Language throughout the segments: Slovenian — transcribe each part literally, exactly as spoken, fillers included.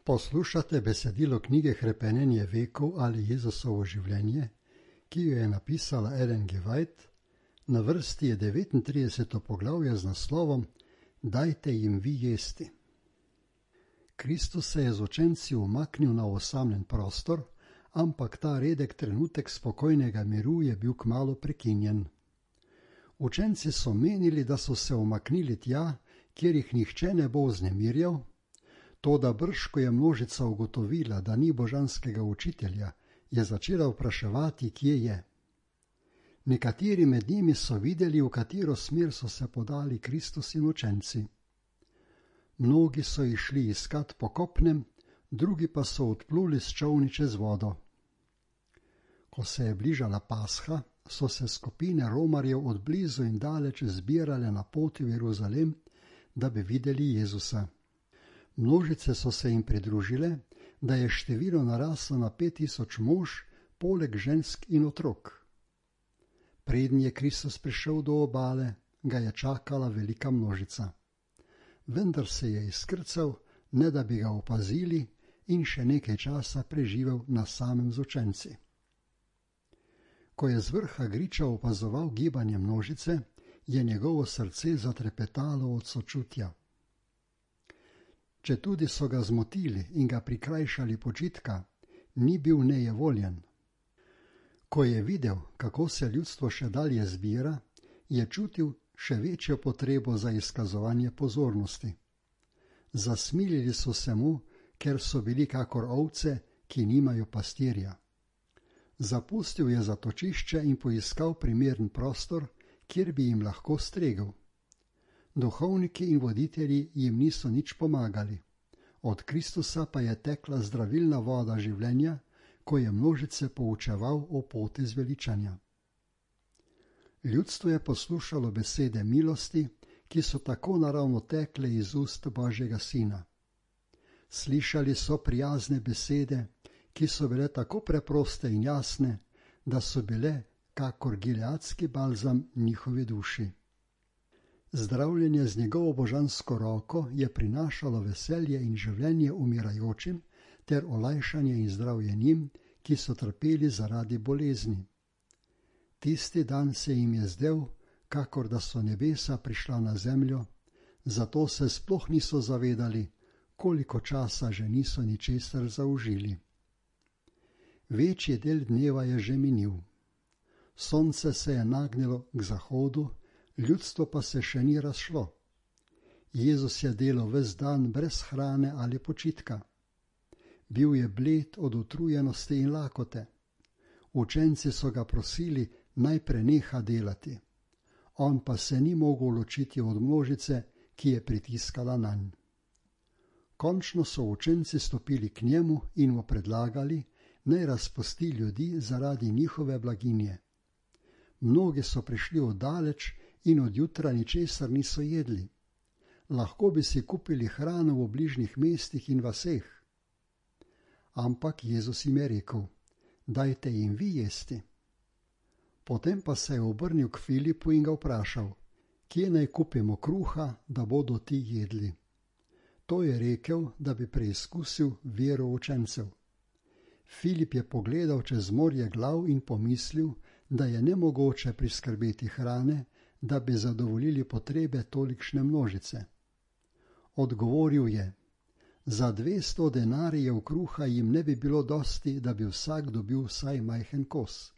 Poslušate besedilo knjige Hrepenenje vekov ali Jezusovo življenje, ki jo je napisala Ellen G. White. Na vrsti je devetintrideseto poglavje z naslovom Dajte jim vi jesti. Kristus se je z učenci umaknil na osamljen prostor, ampak ta redek trenutek spokojnega miru je bil kmalu prekinjen. Učenci so menili, da so se umaknili tja, kjer jih nihče ne bo vznemirjal, toda brž, ko je množica ugotovila, da ni božanskega učitelja, je začela vpraševati, kje je. Nekateri med njimi so videli, v katero smer so se podali Kristus in učenci. Mnogi so išli iskat po kopnem, drugi pa so odpluli s čolni čez vodo. Ko se je bližala Pasha, so se skupine romarjev od blizu in daleč zbirale na poti v Jeruzalem, da bi videli Jezusa. Množice so se jim pridružile, da je število naraslo na pet tisoč mož, poleg žensk in otrok. Preden je Kristus prišel do obale, ga je čakala velika množica. Vendar se je izkrcal, ne da bi ga opazili, in še nekaj časa preživel na samem z učenci. Ko je z vrha griča opazoval gibanje množice, je njegovo srce zatrepetalo od sočutja. Četudi so ga zmotili in ga prikrajšali počitka, ni bil nejevoljen. Ko je videl, kako se ljudstvo še dalje zbira, je čutil še večjo potrebo za izkazovanje pozornosti. Zasmilili so se mu, ker so bili kakor ovce, ki nimajo pastirja. Zapustil je zatočišče in poiskal primeren prostor, kjer bi jim lahko stregel. Duhovniki in voditelji jim niso nič pomagali. Od Kristusa pa je tekla zdravilna voda življenja, ko je množice poučeval o poti zveličanja. Ljudstvo je poslušalo besede milosti, ki so tako naravno tekle iz ust Božjega Sina. Slišali so prijazne besede, ki so bile tako preproste in jasne, da so bile kakor gileadski balzam njihovi duši. Zdravljenje z njegovo božansko roko je prinašalo veselje in življenje umirajočim ter olajšanje in zdravje njim, ki so trpeli zaradi bolezni. Tisti dan se jim je zdel, kakor da so nebesa prišla na zemljo, zato se sploh niso zavedali, koliko časa že niso ničesar zaužili. Večji del dneva je že minil. Sonce se je nagnilo k zahodu, ljudstvo pa se še ni razšlo. Jezus je delal ves dan brez hrane ali počitka. Bil je bled od utrujenosti in lakote. Učenci so ga prosili, naj preneha delati. On pa se ni mogel ločiti od množice, ki je pritiskala nanj. Končno so učenci stopili k njemu in mu predlagali, naj razpusti ljudi zaradi njihove blaginje. Mnogi so prišli oddaleč in od jutra ničesar niso jedli. Lahko bi si kupili hrano v bližnjih mestih in vaseh. Ampak Jezus jim je rekel, dajte jim vi jesti. Potem pa se je obrnil k Filipu in ga vprašal, kje naj kupimo kruha, da bodo ti jedli. To je rekel, da bi preizkusil vero učencev. Filip je pogledal čez morje glav in pomislil, da je nemogoče priskrbeti hrane, da bi zadovoljili potrebe tolikšne množice. Odgovoril je, za dvesto denarijev kruha jim ne bi bilo dosti, da bi vsak dobil vsaj majhen kos.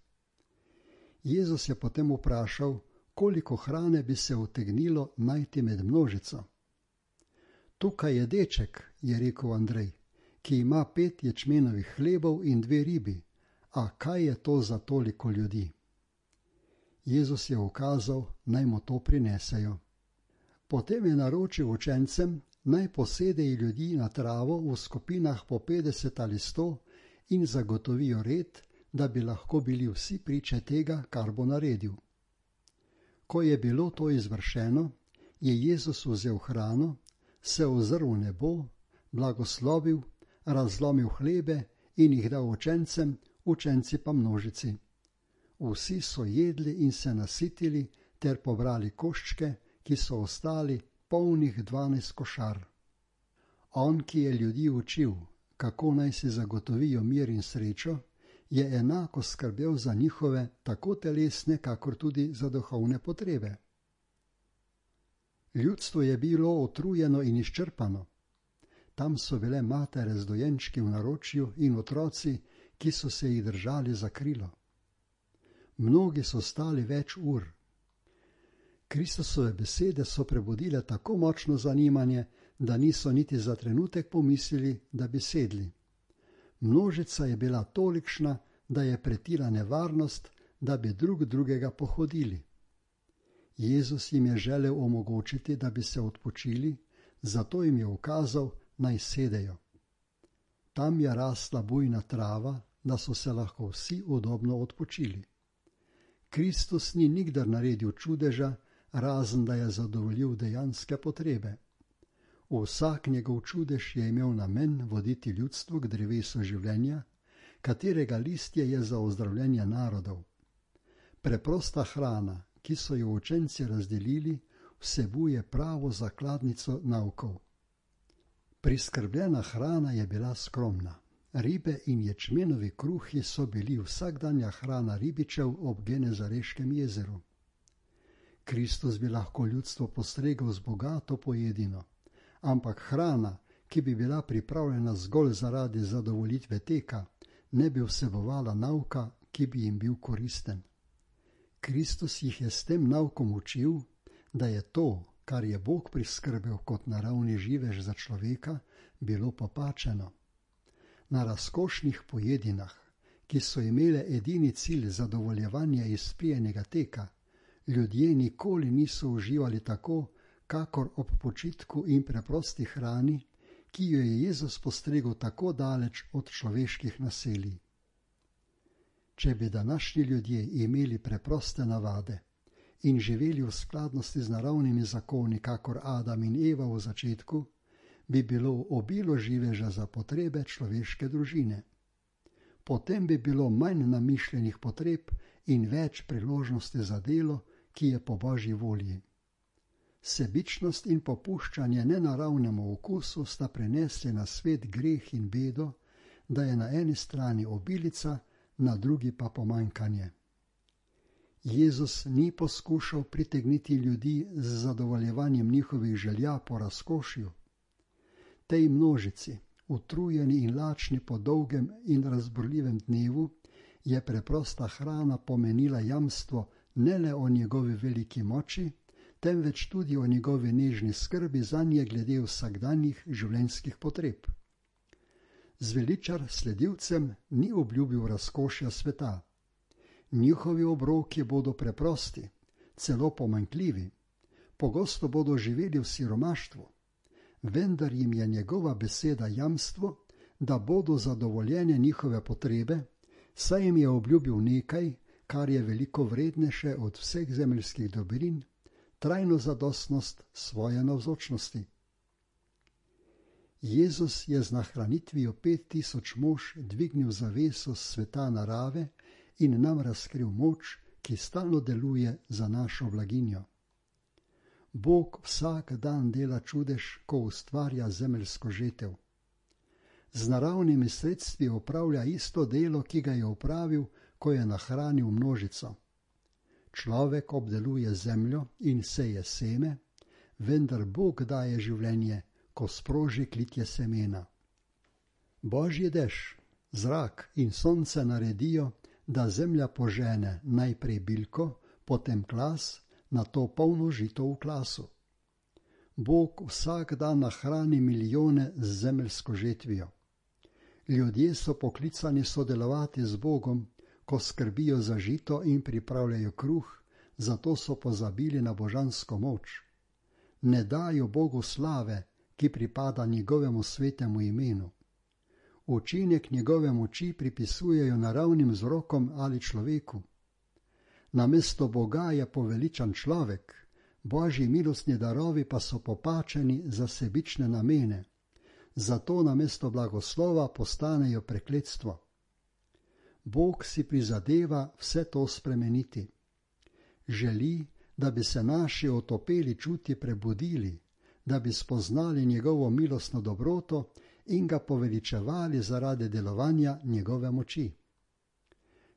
Jezus je potem vprašal, koliko hrane bi se utegnilo najti med množico. Tukaj je deček, je rekel Andrej, ki ima pet ječmenovih hlebov in dve ribi, a kaj je to za toliko ljudi? Jezus je ukazal, naj mu to prinesejo. Potem je naročil učencem, naj posedejo ljudi na travo v skupinah po petdeset ali sto in zagotovijo red, da bi lahko bili vsi priče tega, kar bo naredil. Ko je bilo to izvršeno, je Jezus vzel hrano, se ozrl v nebo, blagoslovil, razlomil hlebe in jih dal učencem, učenci pa množici. Vsi so jedli in se nasitili ter pobrali koščke, ki so ostali polnih dvanajst košar. On, ki je ljudi učil, kako naj si zagotovijo mir in srečo, je enako skrbel za njihove tako telesne, kakor tudi za duhovne potrebe. Ljudstvo je bilo utrujeno in izčrpano. Tam so bile matere z dojenčki v naročju in otroci, ki so se jih držali za krilo. Mnogi so stali več ur. Kristusove besede so prebudile tako močno zanimanje, da niso niti za trenutek pomislili, da bi sedli. Množica je bila tolikšna, da je pretila nevarnost, da bi drug drugega pohodili. Jezus jim je želel omogočiti, da bi se odpočili, zato jim je ukazal, naj sedejo. Tam je rasla bujna trava, da so se lahko vsi udobno odpočili. Kristus ni nikdar naredil čudeža, razen da je zadovoljil dejanske potrebe. Vsak njegov čudež je imel namen voditi ljudstvo k drevesu življenja, katerega listje je za ozdravljenje narodov. Preprosta hrana, ki so jo učenci razdelili, vsebuje pravo zakladnico naukov. Priskrbljena hrana je bila skromna. Ribe in ječmenovi kruhi so bili vsakdanja hrana ribičev ob Genezareškem jezeru. Kristus bi lahko ljudstvo postregel z bogato pojedino, ampak hrana, ki bi bila pripravljena zgolj zaradi zadovoljitve teka, ne bi vsebovala nauka, ki bi jim bil koristen. Kristus jih je s tem naukom učil, da je to, kar je Bog priskrbel kot naravni živež za človeka, bilo popačeno. Na razkošnih pojedinah, ki so imele edini cilj zadovoljevanje izpijenega teka, ljudje nikoli niso uživali tako, kakor ob počitku in preprosti hrani, ki jo je Jezus postregel tako daleč od človeških naselij. Če bi današnji ljudje imeli preproste navade in živeli v skladnosti z naravnimi zakoni, kakor Adam in Eva v začetku, bi bilo obilo živeža za potrebe človeške družine. Potem bi bilo manj namišljenih potreb in več priložnosti za delo, ki je po Božji volji. Sebičnost in popuščanje nenaravnemu okusu sta prinesli na svet greh in bedo, da je na eni strani obilica, na drugi pa pomanjkanje. Jezus ni poskušal pritegniti ljudi z zadovoljevanjem njihovih želja po razkošju. Tej množici, utrujeni in lačni po dolgem in razburljivem dnevu, je preprosta hrana pomenila jamstvo ne le o njegovi veliki moči, temveč tudi o njegovi nežni skrbi zanje glede vsakdanjih življenjskih potreb. Zveličar sledilcem ni obljubil razkošja sveta. Njihovi obroki bodo preprosti, celo pomanjkljivi. Pogosto bodo živeli v siromaštvu, vendar jim je njegova beseda jamstvo, da bodo zadovoljene njihove potrebe, saj jim je obljubil nekaj, kar je veliko vrednejše od vseh zemeljskih dobrin, trajno zadostnost svoje navzočnosti. Jezus je z nahranitvijo pet tisoč mož dvignil zaveso sveta narave in nam razkril moč, ki stalno deluje za našo blaginjo. Bog vsak dan dela čudež, ko ustvarja zemeljsko žetev. Z naravnimi sredstvi opravlja isto delo, ki ga je opravil, ko je nahranil množico. Človek obdeluje zemljo in seje seme, vendar Bog daje življenje, ko sproži klitje semena. Božji dež, zrak in sonce naredijo, da zemlja požene najprej bilko, potem klas, nato polno žito v klasu. Bog vsak dan nahrani milijone z zemeljsko žetvijo. Ljudje so poklicani sodelovati z Bogom, ko skrbijo za žito in pripravljajo kruh, zato so pozabili na božansko moč. Ne dajo Bogu slave, ki pripada njegovemu svetemu imenu. Učinek njegove moči pripisujejo naravnim vzrokom ali človeku. Namesto Boga je poveličan človek, Božji milostni darovi pa so popačeni za sebične namene. Zato namesto blagoslova postanejo prekletstvo. Bog si prizadeva vse to spremeniti. Želi, da bi se naši otopeli čuti prebudili, da bi spoznali njegovo milostno dobroto in ga poveličevali zaradi delovanja njegove moči.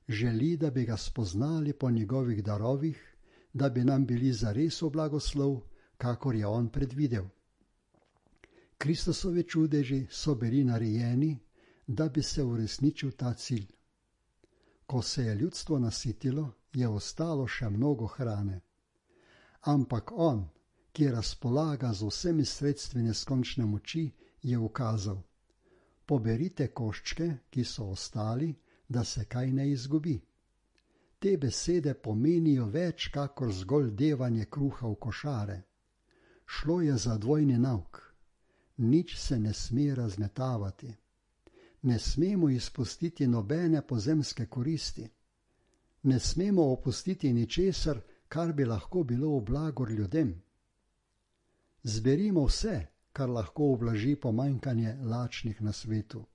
Želi, da bi ga spoznali po njegovih darovih, da bi nam bili zares v blagoslov, kakor je on predvidel. Kristusovi čudeži so bili narejeni, da bi se uresničil ta cilj. Ko se je ljudstvo nasitilo, je ostalo še mnogo hrane. Ampak on, ki razpolaga z vsemi sredstvi neskončne moči, je ukazal: poberite koščke, ki so ostali, da se kaj ne izgubi. Te besede pomenijo več kakor zgolj devanje kruha v košare. Šlo je za dvojni nauk. Nič se ne sme razmetavati. Ne smemo izpustiti nobene pozemske koristi. Ne smemo opustiti ničesar, kar bi lahko bilo v blagor ljudem. Zberimo vse, kar lahko ublaži pomanjkanje lačnih na svetu.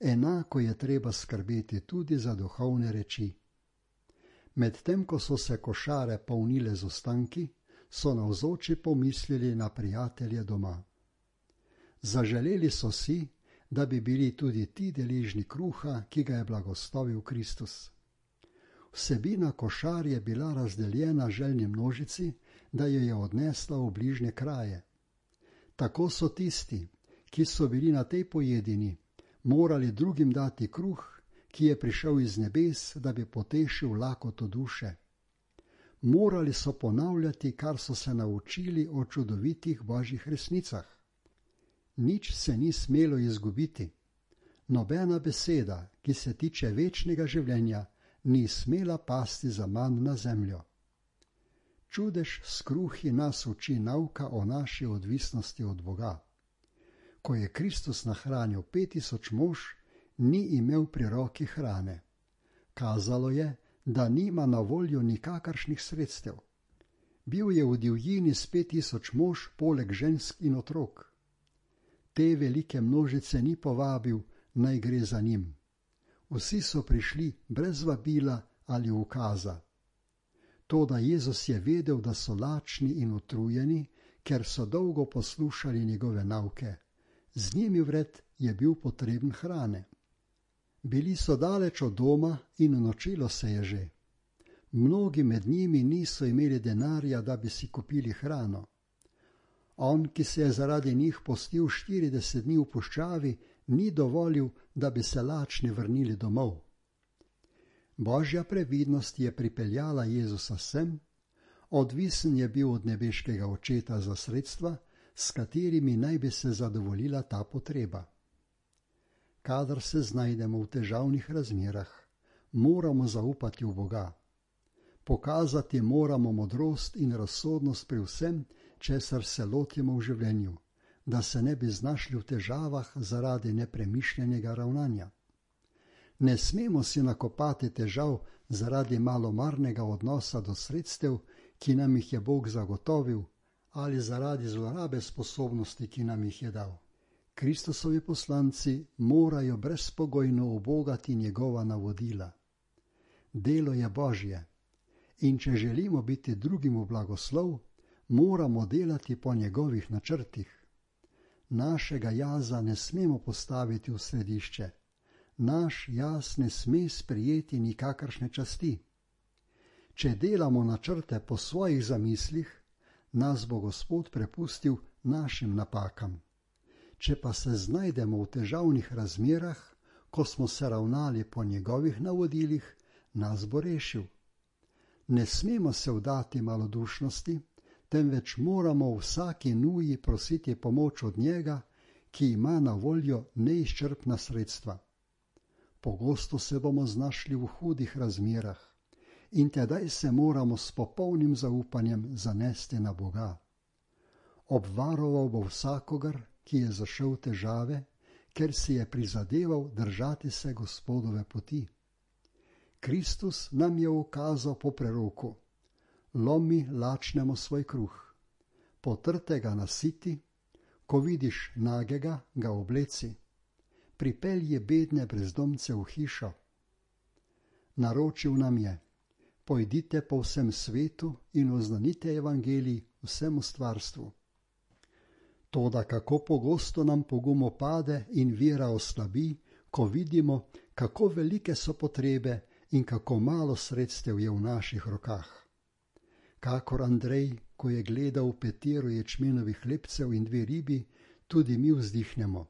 Enako je treba skrbeti tudi za duhovne reči. Medtem ko so se košare polnile z ostanki, so navzoči pomislili na prijatelje doma. Zaželeli so si, da bi bili tudi ti deležni kruha, ki ga je blagoslovil Kristus. Vsebina košar je bila razdeljena željni množici, da jo je odnesla v bližnje kraje. Tako so tisti, ki so bili na tej pojedini, morali drugim dati kruh, ki je prišel iz nebes, da bi potešil lakoto duše. Morali so ponavljati, kar so se naučili o čudovitih božjih resnicah. Nič se ni smelo izgubiti. Nobena beseda, ki se tiče večnega življenja, ni smela pasti za manj na zemljo. Čudež s kruhi nas uči nauka o naši odvisnosti od Boga. Ko je Kristus nahranil pet tisoč mož, ni imel pri roki hrane. Kazalo je, da nima na voljo nikakršnih sredstev. Bil je v divjini s pet tisoč mož poleg žensk in otrok. Te velike množice ni povabil, naj gre za njim. Vsi so prišli brez vabila ali ukaza. Toda Jezus je vedel, da so lačni in utrujeni, ker so dolgo poslušali njegove nauke. Z njimi vred je bil potreben hrane. Bili so daleč od doma in nočilo se je že. Mnogi med njimi niso imeli denarja, da bi si kupili hrano. On, ki se je zaradi njih postil štirideset dni v puščavi, ni dovolil, da bi se lačni vrnili domov. Božja previdnost je pripeljala Jezusa sem, odvisen je bil od nebeškega očeta za sredstva, s katerimi naj bi se zadovoljila ta potreba. Kadar se znajdemo v težavnih razmerah, moramo zaupati v Boga. Pokazati moramo modrost in razsodnost pri vsem, česar se lotimo v življenju, da se ne bi znašli v težavah zaradi nepremišljenega ravnanja. Ne smemo si nakopati težav zaradi malomarnega odnosa do sredstev, ki nam jih je Bog zagotovil, ali zaradi zlorabe sposobnosti, ki nam jih je dal. Kristusovi poslanci morajo brezpogojno ubogati njegova navodila. Delo je Božje in če želimo biti drugim v blagoslov, moramo delati po njegovih načrtih. Našega jaza ne smemo postaviti v središče. Naš jaz ne sme sprejeti nikakršne časti. Če delamo načrte po svojih zamislih, nas bo Gospod prepustil našim napakam. Če pa se znajdemo v težavnih razmerah, ko smo se ravnali po njegovih navodilih, nas bo rešil. Ne smemo se vdati malodušnosti, temveč moramo v vsaki nuji prositi pomoč od njega, ki ima na voljo neizčrpna sredstva. Pogosto se bomo znašli v hudih razmerah in tedaj se moramo s popolnim zaupanjem zanesti na Boga. Obvaroval bo vsakogar, ki je zašel v težave, ker si je prizadeval držati se Gospodove poti. Kristus nam je ukazal po preroku: lomi lačnemu svoj kruh, potrtega nasiti, ko vidiš nagega, ga obleci, pripelji bedne brezdomce v hišo. Naročil nam je: pojdite po vsem svetu in oznanite evangelij vsemu stvarstvu. Toda kako pogosto nam pogum opade in vera oslabi, ko vidimo, kako velike so potrebe in kako malo sredstev je v naših rokah. Kakor Andrej, ko je gledal petero ječmenovih hlebcev in dve ribi, tudi mi vzdihnemo.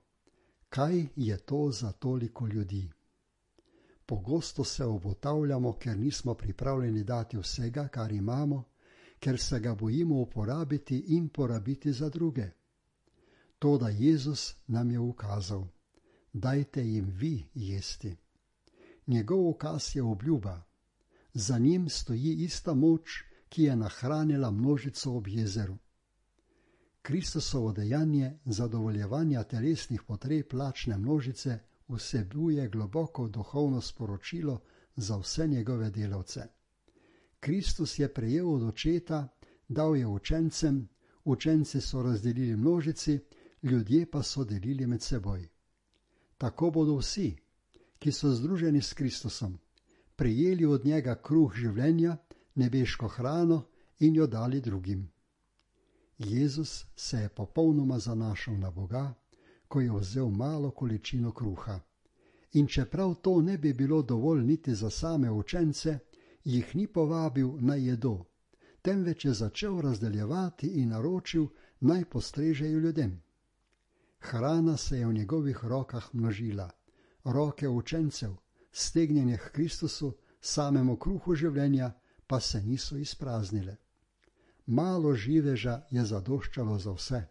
Kaj je to za toliko ljudi? Pogosto se obotavljamo, ker nismo pripravljeni dati vsega, kar imamo, ker se ga bojimo uporabiti in porabiti za druge. Toda Jezus nam je ukazal, dajte jim vi jesti. Njegov ukaz je obljuba. Za njim stoji ista moč, ki je nahranila množico ob jezeru. Kristusovo dejanje zadovoljevanja telesnih potreb lačne množice vsebuje globoko duhovno sporočilo za vse njegove delavce. Kristus je prejel od očeta, dal je učencem, učenci so razdelili množici, ljudje pa so delili med seboj. Tako bodo vsi, ki so združeni s Kristusom, prejeli od njega kruh življenja, nebeško hrano in jo dali drugim. Jezus se je popolnoma zanašal na Boga, ko je vzel malo količino kruha. In čeprav to ne bi bilo dovolj niti za same učence, jih ni povabil naj jedo, temveč je začel razdeljevati in naročil, naj postrežejo ljudem. Hrana se je v njegovih rokah množila, roke učencev, stegnjene k Kristusu, samemu kruhu življenja, pa se niso izpraznile. Malo živeža je zadoščalo za vse.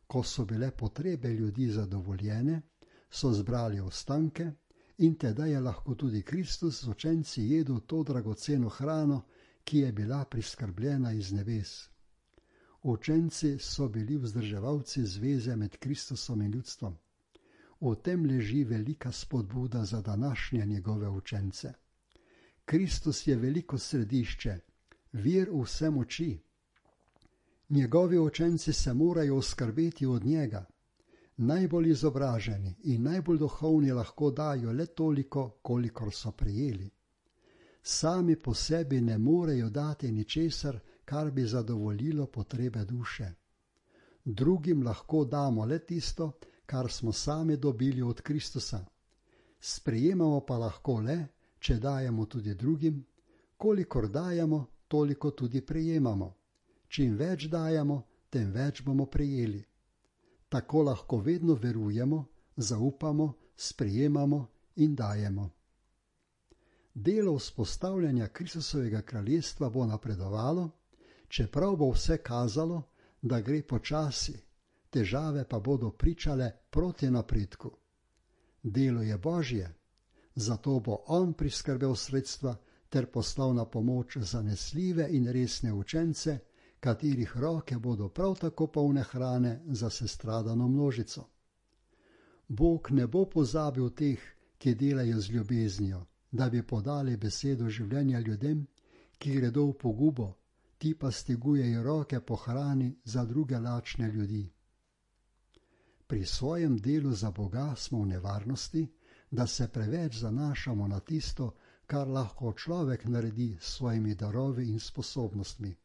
Ko so bile potrebe ljudi zadovoljene, so zbrali ostanke in teda je lahko tudi Kristus z učenci jedel to dragoceno hrano, ki je bila priskrbljena iz nebes. Učenci so bili vzdrževalci zveze med Kristusom in ljudstvom. V tem leži velika spodbuda za današnje njegove učence. Kristus je veliko središče, vir vse moči. Njegovi učenci se morajo oskrbeti od njega. Najbolj izobraženi in najbolj duhovni lahko dajo le toliko, kolikor so prejeli. Sami po sebi ne morejo dati ničesar, kar bi zadovoljilo potrebe duše. Drugim lahko damo le tisto, kar smo sami dobili od Kristusa. Sprejemamo pa lahko le, če dajemo tudi drugim. Kolikor dajemo, toliko tudi prejemamo. Čim več dajemo, tem več bomo prejeli. Tako lahko vedno verujemo, zaupamo, sprejemamo in dajemo. Delo vzpostavljanja Kristusovega kraljestva bo napredovalo, čeprav bo vse kazalo, da gre počasi, težave pa bodo pričale proti napredku. Delo je Božje, zato bo On priskrbel sredstva ter poslal na pomoč zanesljive in resne učence, katerih roke bodo prav tako polne hrane za sestradano množico. Bog ne bo pozabil teh, ki delajo z ljubeznijo, da bi podali besedo življenja ljudem, ki gredo v pogubo, ti pa stegujejo roke po hrani za druge lačne ljudi. Pri svojem delu za Boga smo v nevarnosti, da se preveč zanašamo na tisto, kar lahko človek naredi s svojimi darovi in sposobnostmi.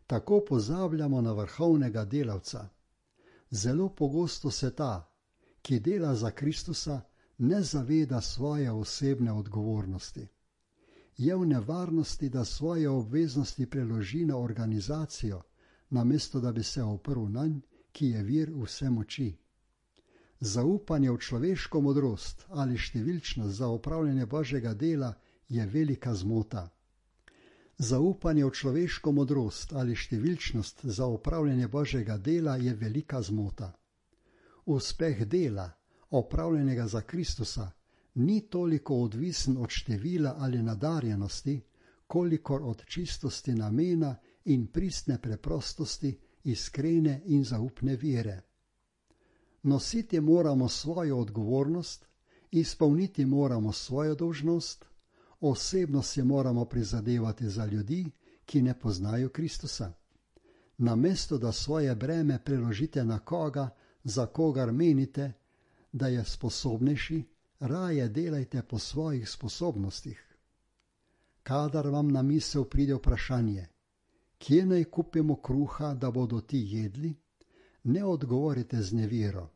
Tako pozabljamo na vrhovnega delavca. Zelo pogosto se ta, ki dela za Kristusa, ne zaveda svoje osebne odgovornosti. Je v nevarnosti, da svoje obveznosti preloži na organizacijo, namesto da bi se oprl nanj, ki je vir vse moči. Zaupanje v človeško modrost ali številčnost za opravljanje Božjega dela je velika zmota. Zaupanje v človeško modrost ali številčnost za opravljanje Božjega dela je velika zmota. Uspeh dela, opravljenega za Kristusa, ni toliko odvisen od števila ali nadarjenosti, kolikor od čistosti namena in pristne preprostosti, iskrene in zaupne vere. Nositi moramo svojo odgovornost, izpolniti moramo svojo dolžnost, osebno se moramo prizadevati za ljudi, ki ne poznajo Kristusa. Namesto da svoje breme preložite na koga, za kogar menite, da je sposobnejši, raje delajte po svojih sposobnostih. Kadar vam na misel pride vprašanje, kje naj kupimo kruha, da bodo ti jedli, ne odgovorite z nevero.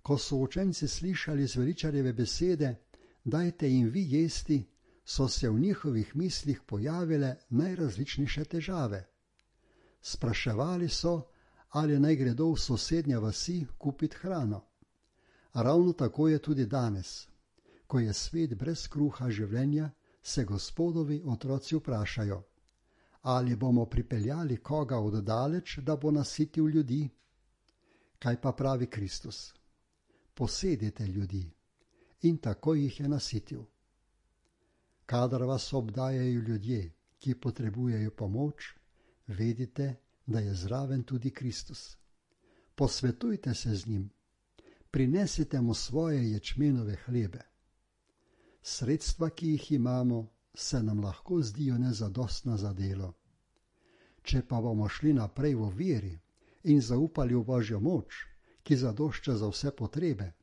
Ko so učenci slišali zveličarjeve besede, dajte jim vi jesti, so se v njihovih mislih pojavile najrazličnejše težave. Spraševali so, ali naj gredo v sosednje vasi kupiti hrano. Ravno tako je tudi danes. Ko je svet brez kruha življenja, se Gospodovi otroci vprašajo, ali bomo pripeljali koga od daleč, da bo nasitil ljudi? Kaj pa pravi Kristus? Posedite ljudi, in tako jih je nasitil. Kadar vas obdajajo ljudje, ki potrebujejo pomoč, vedite, da je zraven tudi Kristus. Posvetujte se z njim, prinesite mu svoje ječmenove hlebe. Sredstva, ki jih imamo, se nam lahko zdijo nezadostna za delo. Če pa bomo šli naprej v veri in zaupali v Božjo moč, ki zadošča za vse potrebe,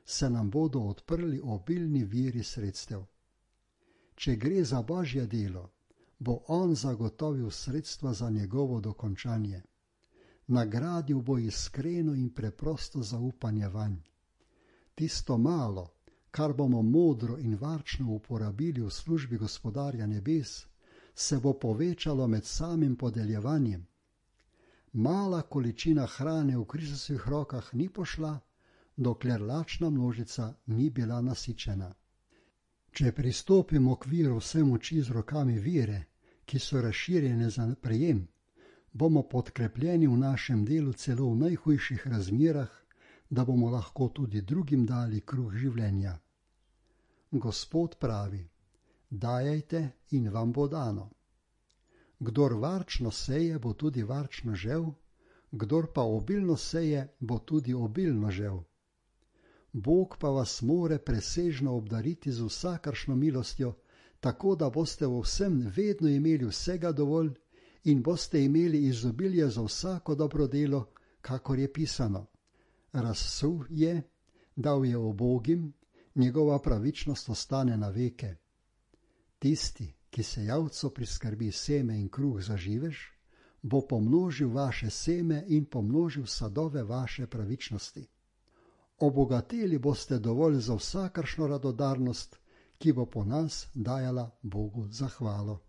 se nam bodo odprli obilni viri sredstev. Če gre za Božje delo, bo On zagotovil sredstva za njegovo dokončanje. Nagradil bo iskreno in preprosto zaupanje vanj. Tisto malo, kar bomo modro in varčno uporabili v službi Gospodarja nebes, se bo povečalo med samim podeljevanjem. Mala količina hrane v Kristusovih rokah ni pošla, dokler lačna množica ni bila nasičena. Če pristopimo k viru vse moči z rokami vire, ki so razširjene za prejem, bomo podkrepljeni v našem delu celo v najhujših razmerah, da bomo lahko tudi drugim dali kruh življenja. Gospod pravi, dajajte in vam bo dano. Kdor varčno seje, bo tudi varčno žel, kdor pa obilno seje, bo tudi obilno žel. Bog pa vas more presežno obdariti z vsakršno milostjo, tako da boste v vsem vedno imeli vsega dovolj in boste imeli izobilje za vsako dobro delo, kakor je pisano. Razsul je, dal je ubogim, njegova pravičnost ostane na veke. Tisti, ki sejavcu priskrbi seme in kruh za živež, bo pomnožil vaše seme in pomnožil sadove vaše pravičnosti. Obogateli boste dovolj za vsakršno radodarnost, ki bo po nas dajala Bogu zahvalo.